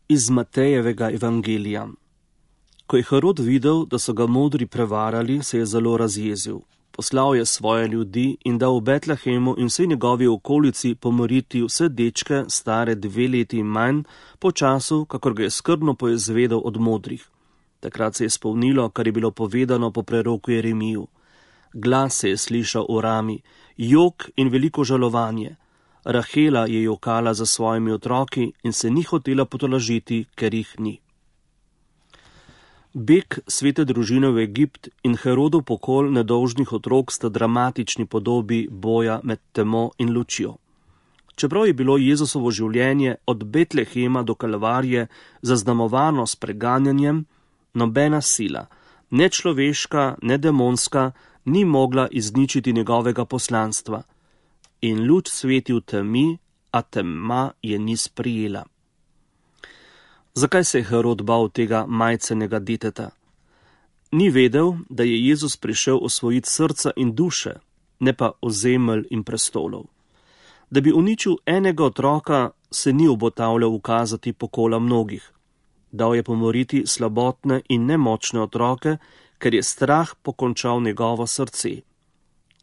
Iz Matejevega evangelija. Ko je Herod videl, da so ga modri prevarali, se je zelo razjezil. Poslal je svoje ljudi in dal v Betlehemu in vsej njegovi okolici pomoriti vse dečke, stare 2 leti in manj, po času, kakor ga je skrbno poizvedel od modrih. Takrat se je spolnilo, kar je bilo povedano po preroku Jeremiju. Glas se je slišal v rami, jok in veliko žalovanje. Rahela je jokala za svojimi otroki in se ni hotela potolažiti, ker jih ni. Beg svete družine v Egipt in Herodov pokol nedolžnih otrok sta dramatični podobi boja med temo in lučjo. Čeprav je bilo Jezusovo življenje od Betlehema do Kalvarije zaznamovano s preganjanjem, nobena sila, ne človeška, ne demonska, ni mogla izničiti njegovega poslanstva. In luč sveti v temi, a tema je ni sprijela. Zakaj se je Herod bal tega majcenega deteta? Ni vedel, da je Jezus prišel osvojiti srca in duše, ne pa ozemelj in prestolov. Da bi uničil enega otroka, se ni obotavljal ukazati pokola mnogih. Dal je pomoriti slabotne in nemočne otroke, ker je strah pokončal njegovo srce.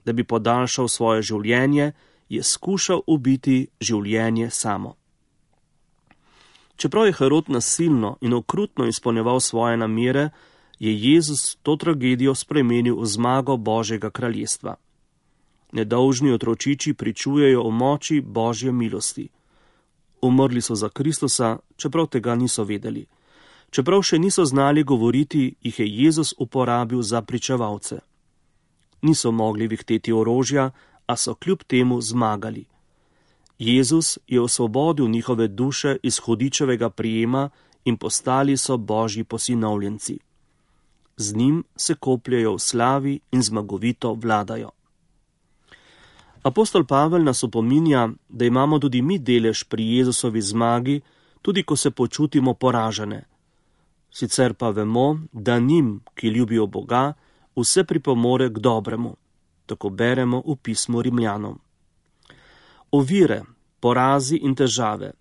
Da bi podaljšal svoje življenje, je skušal ubiti življenje samo. Čeprav je Herod nasilno in okrutno izpolnjeval svoje namere, je Jezus to tragedijo spremenil v zmago Božjega kraljestva. Nedolžni otročiči pričujejo o moči Božje milosti. Umrli so za Kristusa, čeprav tega niso vedeli. Čeprav še niso znali govoriti, jih je Jezus uporabil za pričevalce. Niso mogli vihteti orožja, a so kljub temu zmagali. Jezus je osvobodil njihove duše iz hudičevega prijema in postali so Božji posinovljenci. Z njim se kopljejo v slavi in zmagovito vladajo. Apostol Pavel nas opominja, da imamo tudi mi delež pri Jezusovi zmagi, tudi ko se počutimo poražene. Sicer pa vemo, da njim, ki ljubijo Boga, vse pripomore k dobremu. Tako beremo v pismu Rimljanom. Ovire, porazi in težave,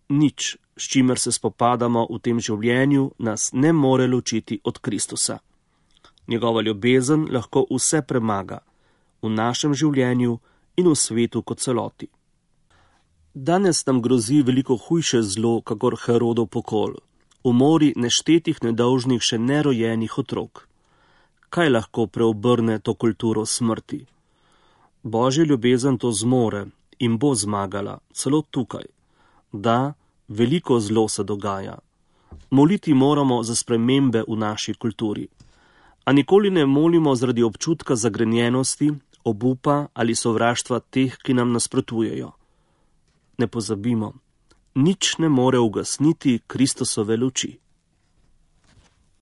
nič, s čimer se spopadamo v tem življenju, nas ne more ločiti od Kristusa. Njegova ljubezen lahko vse premaga, v našem življenju in v svetu kot celoti. Danes nam grozi veliko hujše zlo, kakor Herodov pokol, umori neštetih nedolžnih še nerojenih otrok. Kaj lahko preobrne to kulturo smrti? Božja ljubezen to zmore in bo zmagala, celo tukaj. Da, veliko zlo se dogaja. Moliti moramo za spremembe v naši kulturi. A nikoli ne molimo zaradi občutka zagrenjenosti, obupa ali sovraštva teh, ki nam nasprotujejo. Ne pozabimo, nič ne more ugasniti Kristusove luči.